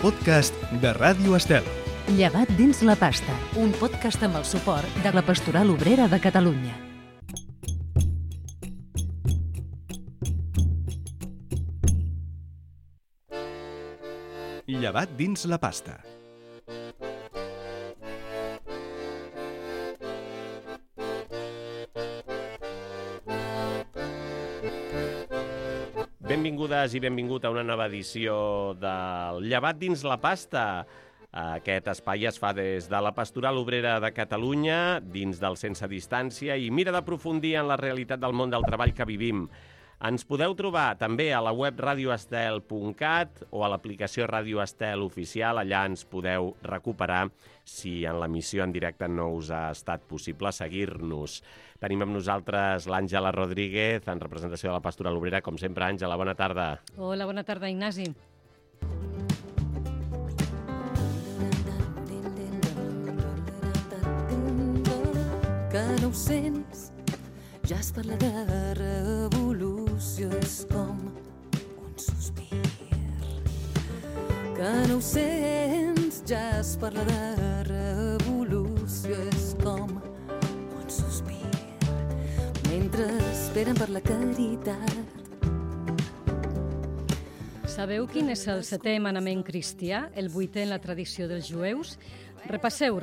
podcast de Ràdio Estel. Llevat dins la pasta, un podcast amb el suport de la Pastoral Obrera de Catalunya. Llevat dins la pasta. Benvingudes i benvingut a una nova edició del Llevat dins la pasta. Aquest espai es fa des de la Pastoral Obrera de Catalunya, dins del Sense Distància, i mira d'aprofundir en la realitat del món del treball que vivim. Ens podeu trobar també a la web radioestel.cat o a l'aplicació Radio Estel Oficial. Allà ens podeu recuperar si en l'emissió en directe no us ha estat possible seguir-nos. Tenim amb nosaltres l'Àngela Rodríguez, en representació de la Pastoral Obrera. Com sempre, Àngela, bona tarda. Hola, bona tarda, Ignasi. Que no ho sents, ja es parla de revolució, és com un sospir. Que no ho sents, ja es parla de revolució, és com un sospir. Mentre esperen per la caritat. Sabeu quin és el setè manament cristià, el vuitè en la tradició dels jueus? Repasseu.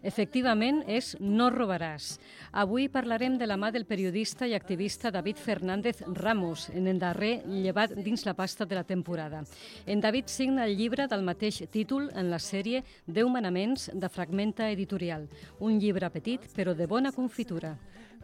Efectivament, és no robaràs. Avui parlarem de la mà del periodista i activista David Fernández Ramos, en el darrer Llevat dins la pasta de la temporada. En David signa el llibre del mateix títol en la sèrie 10 manaments de Fragmenta Editorial. Un llibre petit, però de bona confitura.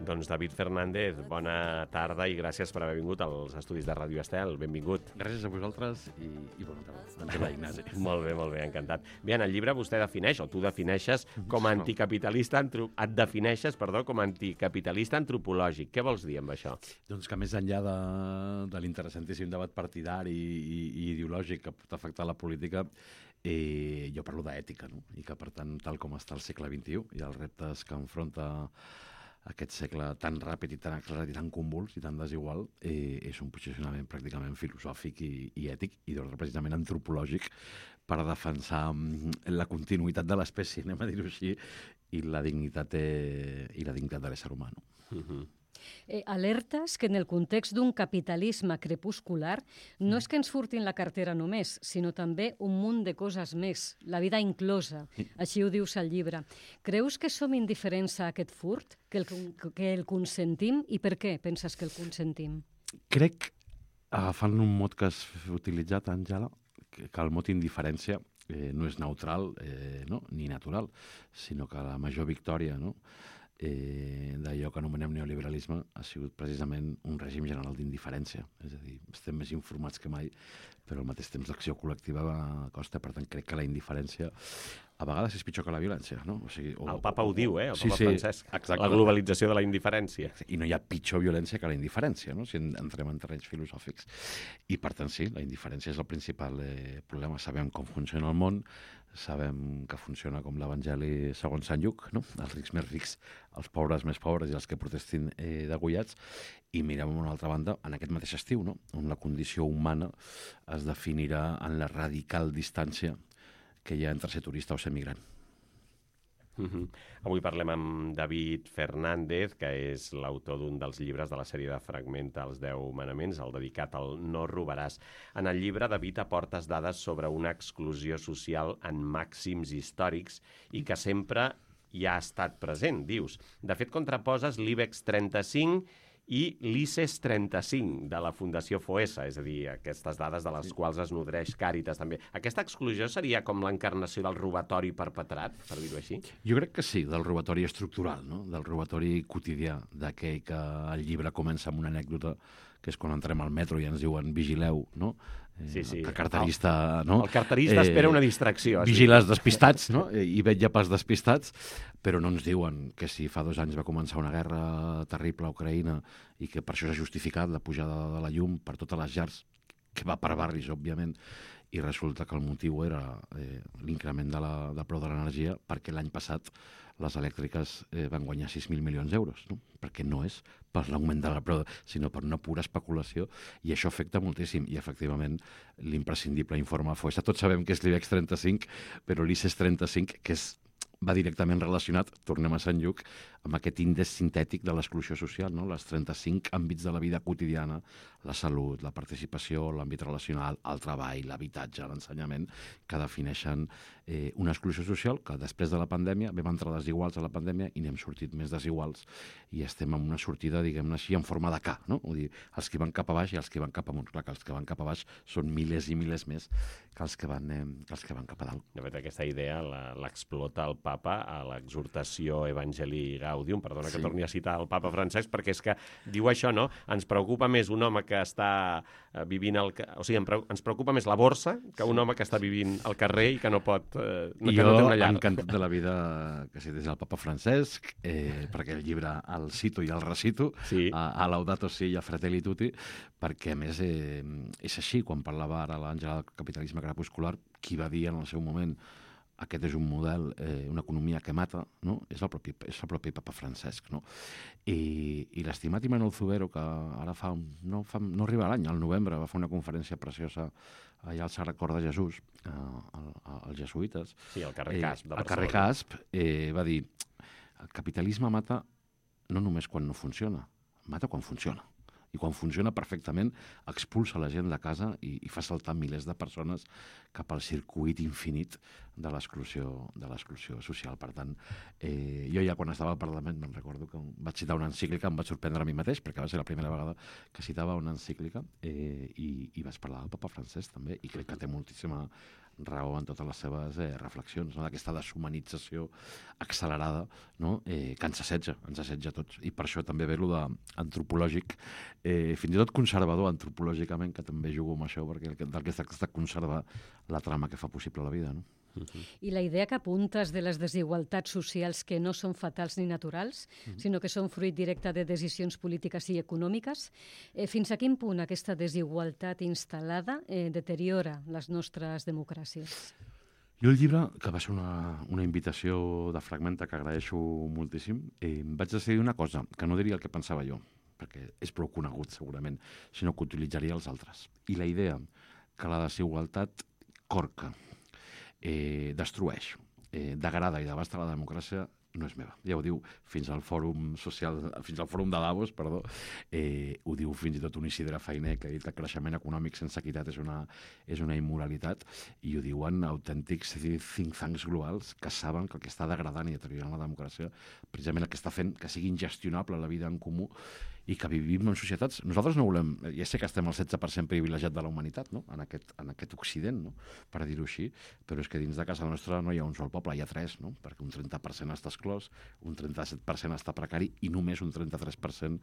Doncs David Fernández, bona tarda i gràcies per haver vingut als estudis de Ràdio Estel. Benvingut. Gràcies a vosaltres i bona tarda. Àngela, Ignasi. Molt bé, encantat. Bé, en el llibre vostè defineix, o tu defineixes com a anticapitalista, et defineixes, com a anticapitalista antropològic. Què vols dir amb això? Doncs que més enllà de l'interessantíssim debat partidari i ideològic que pot afectar la política, jo parlo d'ètica, no? I que, per tant, tal com està el segle XXI i els reptes que enfronta aquest segle tan ràpid i tan accelerat i tan convuls i tan desigual, és un posicionament pràcticament filosòfic i ètic i d'ordre precisament antropològic per defensar la continuïtat de l'espècie, anem a dir-ho així, i la dignitat de l'ésser humà. Alertes que en el context d'un capitalisme crepuscular no és que ens furtin la cartera només, sinó també un munt de coses més, la vida inclosa. Així ho dius al llibre. Creus que som indiferents a aquest furt, que el consentim, i per què penses que el consentim? Crec, agafant un mot que has utilitzat, Àngela, que el mot indiferència no és neutral ni natural, sinó que la major victòria d'allò que anomenem neoliberalisme ha sigut precisament un règim general d'indiferència. És a dir, estem més informats que mai, però al mateix temps l'acció col·lectiva costa. Per tant, crec que la indiferència a vegades és pitjor que la violència. No? El papa ho diu, el papa Francesc. Exacte. La globalització de la indiferència. I no hi ha pitjor violència que la indiferència, no? Si entrem en terrenys filosòfics. I per tant, sí, la indiferència és el principal problema. Sabem com funciona el món, sabem que funciona com l'Evangeli segons Sant Lluc, no? Els rics més rics, els pobres més pobres i els que protestin degollats. I mirem a una altra banda, en aquest mateix estiu, no? On la condició humana es definirà en la radical distància que hi ha entre ser turista o ser migrant. Avui parlem amb David Fernández, que és l'autor d'un dels llibres de la sèrie de Fragmenta, els 10 manaments, el dedicat al no robaràs. En el llibre, David aportes dades sobre una exclusió social en màxims històrics i que sempre hi ha estat present, dius. De fet, contraposes l'IBEX 35 i l'ICES 35 de la Fundació Foessa, és a dir, aquestes dades de les quals es nodreix Càritas també. Aquesta exclusió seria com l'encarnació del robatori perpetrat, per dir-ho així? Jo crec que sí, del robatori estructural, no? Del robatori quotidià, d'aquell que el llibre comença amb una anècdota, que és quan entrem al metro i ens diuen vigileu, no? Sí. El carterista, no? El carterista espera una distracció. Vigiles despistats, no? I vetlla pels despistats, però no ens diuen que si fa 2 anys va començar una guerra terrible a Ucraïna i que per això s'ha justificat la pujada de la llum per totes les llars que va per barris, òbviament, i resulta que el motiu era l'increment del preu de l'energia, perquè l'any passat les elèctriques van guanyar 6.000 milions d'euros, no? Perquè no és per l'augment de la preu, sinó per una pura especulació, i això afecta moltíssim. I, efectivament, l'imprescindible informe FOESA, tots sabem que és l'IBEX 35, però l'ICES 35, que va directament relacionat, tornem a Sant Lluc, amb aquest índex sintètic de l'exclusió social, no? Les 35 àmbits de la vida quotidiana, la salut, la participació, l'àmbit relacional, el treball, l'habitatge, l'ensenyament, que defineixen una exclusió social que després de la pandèmia vam entrar desiguals a la pandèmia i n'hem sortit més desiguals i estem en una sortida, diguem-ne així, en forma de K, no? Vull dir, els que van cap a baix i els que van cap amunt. Clar que els que van cap a baix són milers i milers més que els que van cap a dalt. De fet, aquesta idea l'explota el papa a l'exhortació Evangelii Gaudium, perdona que torni a citar el papa Francesc, perquè és que diu això, no? Ens preocupa més un home que està vivint o sigui, ens preocupa més la borsa que un home que està vivint al carrer i que no pot I jo, encantat de la vida, que cités el papa Francesc, perquè el llibre el cito i el recito, sí. a Laudato Si i a Fratelli Tutti, perquè, a més, és així. Quan parlava ara l'Àngela del capitalisme crepuscular, qui va dir en el seu moment aquest és un model, una economia que mata, no? És el propi papa Francesc, no? I l'estimat Imanol Zubero, que ara no arriba a l'any, al novembre, va fer una conferència preciosa allà al Sagrat Cor de Jesús, als jesuïtes. Sí, al carrer Casp de Barcelona. Al carrer Casp, va dir, el capitalisme mata no només quan no funciona, mata quan funciona. I quan funciona perfectament expulsa la gent de casa i fa saltar milers de persones cap al circuit infinit de l'exclusió social. Per tant, jo ja quan estava al Parlament me'n recordo que vaig citar una encíclica, em vaig sorprendre a mi mateix, perquè va ser la primera vegada que citava una encíclica i vaig parlar del papa Francesc també, i crec que té moltíssima raó en totes les seves reflexions, no? D'aquesta deshumanització accelerada, no? Que ens assetja a tots. I per això també ve el d'antropològic, fins i tot conservador antropològicament, que també jugo amb això, perquè del que es tracta és de conservar la trama que fa possible la vida, no? I la idea que apuntes de les desigualtats socials que no són fatals ni naturals, sinó que són fruit directe de decisions polítiques i econòmiques, fins a quin punt aquesta desigualtat instal·lada deteriora les nostres democràcies? Jo el llibre, que va ser una invitació de Fragmenta que agraeixo moltíssim, vaig decidir una cosa, que no diria el que pensava jo, perquè és prou conegut segurament, sinó que utilitzaria els altres. I la idea que la desigualtat corca, destrueix, degrada i devasta la democràcia no és meva. Ja ho diu fins al fòrum de Davos, ho diu fins i tot un Isidre Fainé, que ha dit que el creixement econòmic sense equitat és una immoralitat, i ho diuen autèntics think tanks globals que saben que el que està degradant i deteriorant la democràcia precisament el que està fent que sigui ingestionable la vida en comú i que vivim en societats. Nosaltres no volem, ja sé que estem al 16% privilegiat de la humanitat, no? en aquest Occident, no? Per dir-ho així, però és que dins de casa nostra no hi ha un sol poble, hi ha 3, no? Perquè un 30% està exclòs, un 37% està precari i només un 33%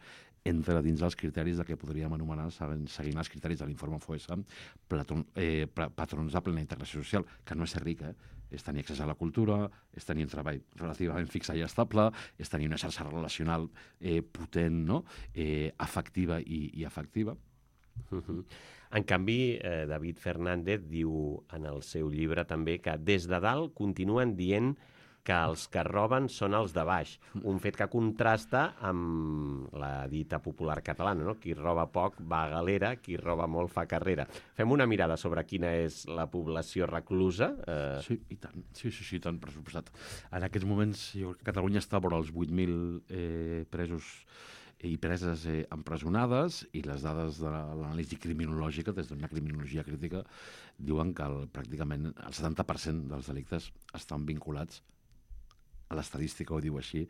entra dins els criteris de què podríem anomenar, seguint els criteris de l'informe FOESA, patrons de plena integració social, que no és ser ric, és tenir accés a la cultura, és tenir un treball relativament fix i estable, és tenir una xarxa relacional potent, no? Afectiva i afectiva. En canvi, David Fernández diu en el seu llibre també que des de dalt continuen dient que els que roben són els de baix. Un fet que contrasta amb la dita popular catalana, no? Qui roba poc va a galera, qui roba molt fa carrera. Fem una mirada sobre quina és la població reclusa? Sí, i tant. Sí, tant, per suposat. En aquests moments, jo crec que Catalunya està vora els 8.000 presos i preses empresonades, i les dades de l'anàlisi criminològica, des d'una criminologia crítica, diuen que pràcticament el 70% dels delictes estan vinculats, a l'estadística ho diu així,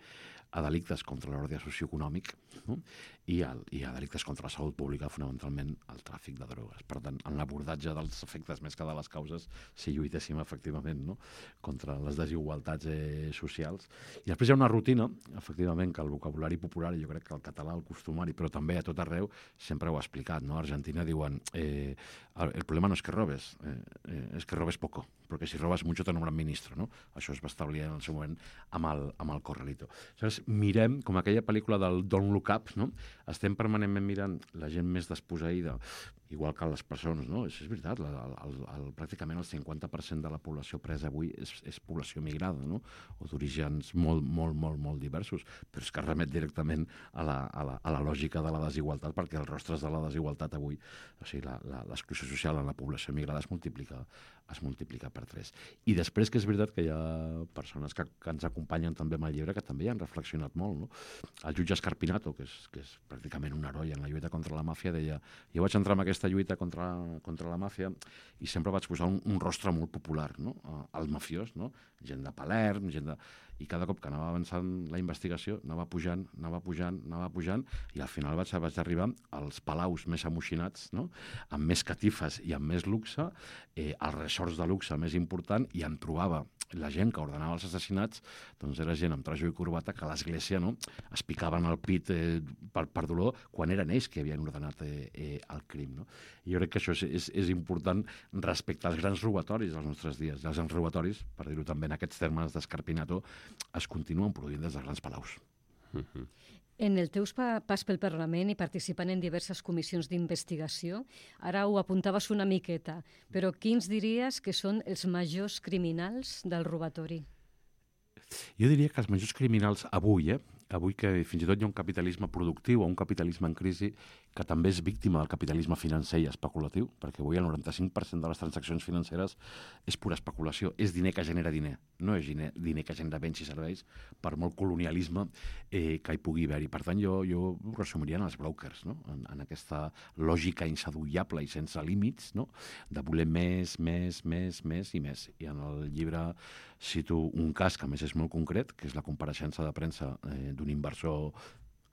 a delictes contra l'ordre socioeconòmic, no? I a delictes contra la salut pública, fonamentalment el tràfic de drogues. Per tant, en l'abordatge dels efectes més que de les causes, si lluitéssim efectivament, no? Contra les desigualtats socials. I després hi ha una rutina, efectivament, que el vocabulari popular, jo crec que el català, el costumari, però també a tot arreu, sempre ho ha explicat, no? A Argentina diuen el problema no és que robes, és que robes poco, perquè si robes mucho te nombran ministro, no? Això es va establir en el seu moment amb el Corralito. Aleshores, mirem, com aquella pel·lícula del Don't Look Up, no? Estem permanentment mirant la gent més desposseïda igual que les persones, no? És veritat, pràcticament el 50% de la població presa avui és població migrada, no? O d'orígens molt diversos, però és que remet directament a la lògica de la desigualtat, perquè els rostres de la desigualtat avui, o sigui, l'exclusió social en la població migrada es multiplica per 3. I després que és veritat que hi ha persones que ens acompanyen també amb el llibre que també hi han reflexionat molt, no? El jutge Scarpinato, que és pràcticament un heroi en la lluita contra la màfia, deia: jo vaig entrar en aquesta lluita contra la màfia i sempre vaig posar un rostre molt popular, no? Al mafiós, no? Gent de Palerm, i cada cop que anava avançant la investigació anava pujant, i al final vaig arribar als palaus més amoixinats, no? Amb més catifes i amb més luxe, als resorts de luxe més important, i em trobava la gent que ordenava els assassinats, doncs era gent amb trajo i corbata que a l'església, no, es picaven el pit per dolor quan eren ells que havien ordenat el crim, no? I jo crec que això és important respecte als grans robatoris dels nostres dies. Els grans robatoris, per dir-ho també en aquests termes d'Scarpinato, es continuen produint des dels grans palaus. En el teu pas pel Parlament i participant en diverses comissions d'investigació, ara ho apuntaves una miqueta, però quins diries que són els majors criminals del robatori? Jo diria que els majors criminals avui que fins i tot hi ha un capitalisme productiu o un capitalisme en crisi que també és víctima del capitalisme financer i especulatiu, perquè avui el 95% de les transaccions financeres és pura especulació, és diner que genera diner, no és diner que genera béns i serveis, per molt colonialisme que hi pugui haver-hi. Per tant, jo ho resumiria en els brokers, no? En aquesta lògica insadollable i sense límits, no? De voler més i més. I en el llibre cito un cas que a més és molt concret, que és la compareixença de premsa d'un inversor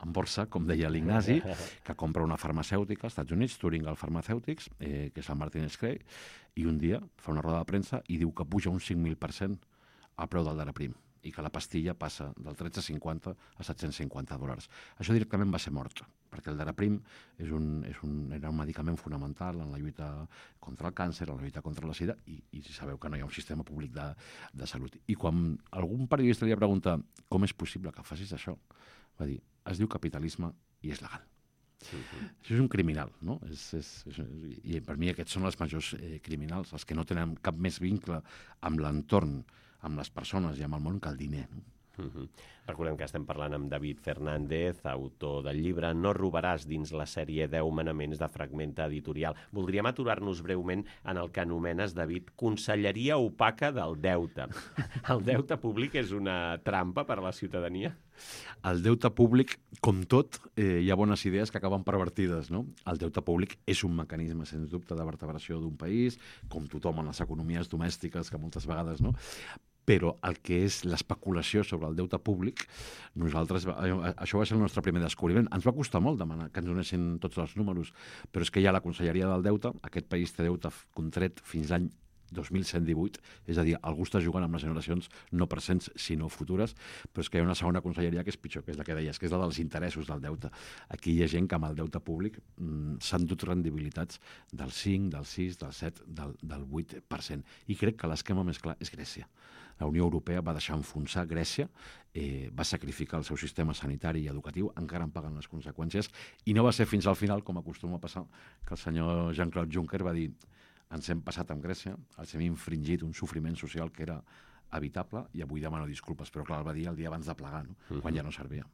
en borsa, com deia l'Ignasi, que compra una farmacèutica als Estats Units, Thuringal Pharmaceutics, que és el Martin Scray, i un dia fa una roda de premsa i diu que puja un 5.000% al preu del Daraprim i que la pastilla passa del $13,50 a $750. Això directament va ser mort, perquè el Daraprim era un medicament fonamental en la lluita contra el càncer, en la lluita contra la sida, i sabeu que no hi ha un sistema públic de salut. I quan algun periodista li va preguntar com és possible que facis això, va dir: es diu capitalisme i és legal. Això és un criminal, no? I per mi aquests són els majors criminals, els que no tenen cap més vincle amb l'entorn, amb les persones i amb el món que el diner, no? Recordem que estem parlant amb David Fernández, autor del llibre No robaràs, dins la sèrie 10 manaments de Fragmenta Editorial. Voldríem aturar-nos breument en el que anomenes, David, conselleria opaca del deute. El deute públic és una trampa per a la ciutadania? El deute públic, com tot, hi ha bones idees que acaben pervertides, no? El deute públic és un mecanisme, sens dubte, de vertebració d'un país, com tothom en les economies domèstiques, que moltes vegades, no? Però el que és l'especulació sobre el deute públic, això va ser el nostre primer descobriment. Ens va costar molt demanar que ens donessin tots els números, però és que hi ha la Conselleria del Deute, aquest país té deute contret fins l'any 2118, és a dir, algú està jugant amb les generacions no presents sinó futures, però és que hi ha una segona conselleria que és pitjor, que és la que deies, que és la dels interessos del deute. Aquí hi ha gent que amb el deute públic s'han dut rendibilitats del 5, del 6, del 7, del 8%. I crec que l'esquema més clar és Grècia. La Unió Europea va deixar enfonsar Grècia, va sacrificar el seu sistema sanitari i educatiu, encara en paguen les conseqüències, i no va ser fins al final, com acostuma a passar, que el senyor Jean-Claude Juncker va dir: ens hem passat amb Grècia, els hem infringit un sofriment social que era evitable i avui demano disculpes, però clar, el va dir el dia abans de plegar, no? Quan ja no servia.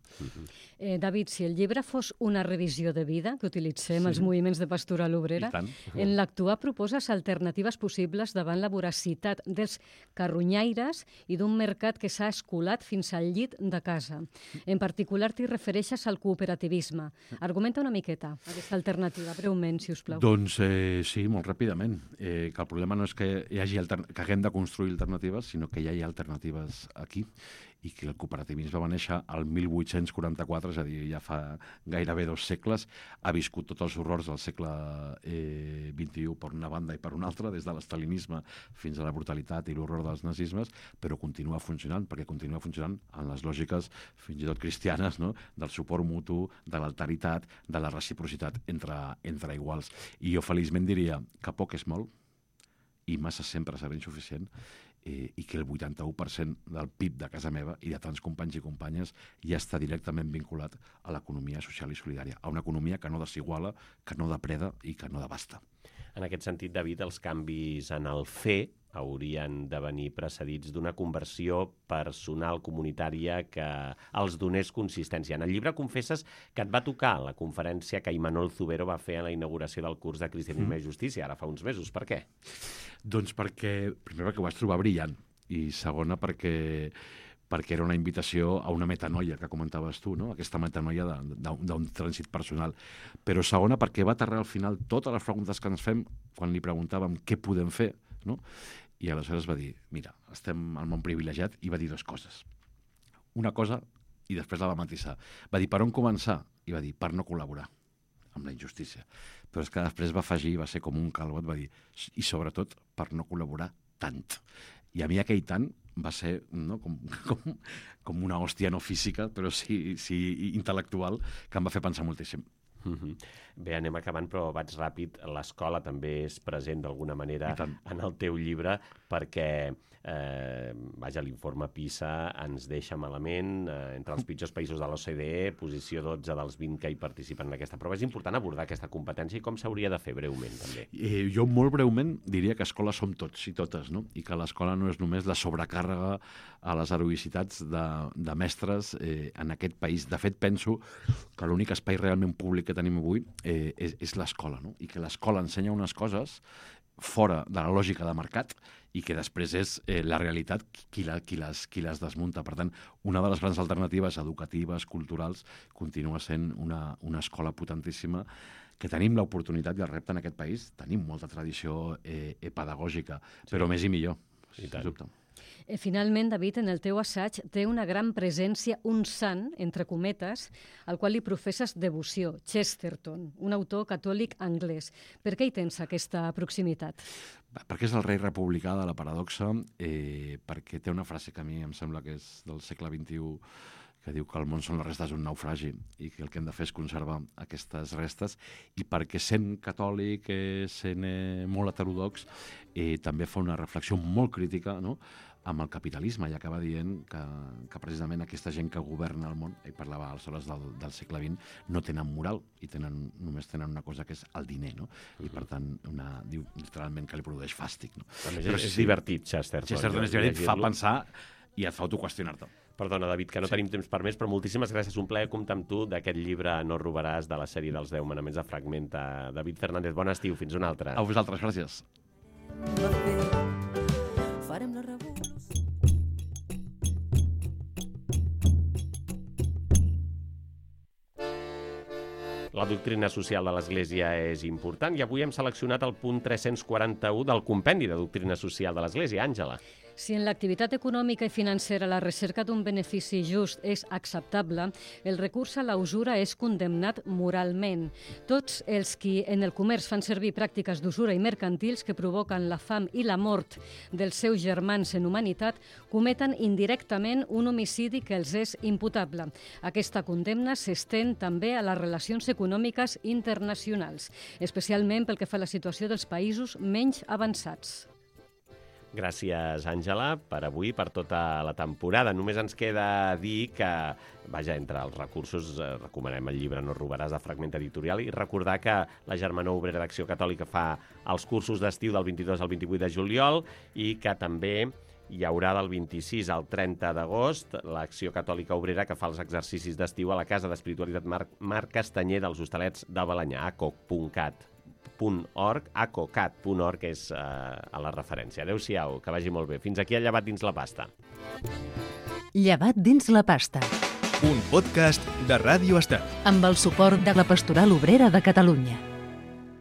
David, si el llibre fos una revisió de vida, que utilitzem els moviments de pastoral obrera, en l'actuar proposes alternatives possibles davant la voracitat dels carronyaires i d'un mercat que s'ha escolat fins al llit de casa. En particular, t'hi refereixes al cooperativisme. Argumenta una miqueta aquesta alternativa, breument, si us plau. Doncs sí, molt ràpidament. Que el problema no és que que haguem de construir alternatives, sinó que hi ha alternatives aquí, i que el cooperativisme va néixer al 1844, és a dir, ja fa gairebé 2 segles, ha viscut tots els horrors del segle XXI per una banda i per una altra, des de l'estalinisme fins a la brutalitat i l'horror dels nazismes, però continua funcionant, perquè continua funcionant en les lògiques fins i tot cristianes, no? Del suport mutu, de l'alteritat, de la reciprocitat entre iguals. I jo feliçment diria que poc és molt, i massa sempre serà insuficient, i que el 81% del PIB de casa meva i de tants companys i companyes ja està directament vinculat a l'economia social i solidària, a una economia que no desiguala, que no depreda i que no devasta. En aquest sentit, David, els canvis en el fer haurien de venir precedits d'una conversió personal comunitària que els donés consistència. En el llibre confesses que et va tocar la conferència que Imanol Zubero va fer a la inauguració del curs de Cristianisme i Justícia, ara fa uns mesos. Per què? Doncs perquè, primer, perquè ho vaig trobar brillant, i segona, perquè era una invitació a una metanoia que comentaves tu, no? Aquesta metanoia d'un trànsit personal. Però segona, perquè va aterrar al final totes les preguntes que ens fem quan li preguntàvem què podem fer, no? I aleshores va dir, mira, estem al món privilegiat, i va dir dues coses. Una cosa, i després la va matisar. Va dir, per on començar? I va dir, per no col·laborar amb la injustícia. Però és que després va afegir, va ser com un calbot, va dir, i sobretot per no col·laborar tant. I a mi aquell tant va ser, no, com una hòstia no física, però sí intel·lectual, que em va fer pensar moltíssim. Bé, anem acabant, però vaig ràpid. L'escola també és present d'alguna manera en el teu llibre, perquè l'informe PISA ens deixa malament entre els pitjors països de l'OCDE, posició 12 dels 20 que hi participen en aquesta prova. És important abordar aquesta competència i com s'hauria de fer breument, també. Jo molt breument diria que escola som tots i totes, no? I que l'escola no és només la sobrecàrrega a les heroïcitats de mestres en aquest país. De fet, penso que l'únic espai realment públic que tenim avui és l'escola, no? I que l'escola ensenya unes coses fora de la lògica de mercat i que després és la realitat qui les desmunta. Per tant, una de les grans alternatives educatives, culturals, continua sent una escola potentíssima que tenim l'oportunitat i el repte en aquest país. Tenim molta tradició pedagògica, però més i millor, sens dubte. Finalment, David, en el teu assaig té una gran presència un sant, entre cometes, al qual li professes devoció, Chesterton, un autor catòlic anglès. Per què hi tens aquesta proximitat? Perquè és el rei republicà de la paradoxa, perquè té una frase que a mi em sembla que és del segle XXI, que diu que el món són les restes d'un naufragi i que el que hem de fer és conservar aquestes restes, i perquè sent catòlic, sent molt heterodox, també fa una reflexió molt crítica, no?, amb el capitalisme, i acaba dient que precisament aquesta gent que governa el món, ell parlava aleshores del segle XX, no tenen moral i només tenen una cosa que és el diner, no? I per tant, diu literalment que li produeix fàstic, no? A més, és divertit, Chesterton. Chesterton és divertit, fa pensar i et fa autoqüestionar-te. Perdona, David, que no tenim temps per més, però moltíssimes gràcies. Un plaer comptar amb tu d'aquest llibre No robaràs, de la sèrie dels 10 manaments de Fragmenta. David Fernández, bon estiu, fins una altra. A vosaltres, gràcies. Farem la revolució. La doctrina social de l'Església és important i avui hem seleccionat el punt 341 del compendi de doctrina social de l'Església. Àngela. Si en l'activitat econòmica i financera la recerca d'un benefici just és acceptable, el recurs a la usura és condemnat moralment. Tots els qui en el comerç fan servir pràctiques d'usura i mercantils que provoquen la fam i la mort dels seus germans en humanitat cometen indirectament un homicidi que els és imputable. Aquesta condemna s'estén també a les relacions econòmiques internacionals, especialment pel que fa a la situació dels països menys avançats. Gràcies, Àngela, per avui, per tota la temporada. Només ens queda dir que, entre els recursos, recomanem el llibre No robaràs, de Fragmenta Editorial, i recordar que la Germanor Obrera d'Acció Catòlica fa els cursos d'estiu del 22 al 28 de juliol i que també hi haurà del 26 al 30 d'agost l'Acció Catòlica Obrera, que fa els exercicis d'estiu a la Casa d'Espiritualitat Marc Castanyer dels Hostalets de Balenyà, acocat.org és a la referència. Adéu-siau, que vagi molt bé. Fins aquí el Llevat dins la pasta. Llevat dins la pasta. Un podcast de Ràdio Estel. Amb el suport de la Pastoral Obrera de Catalunya.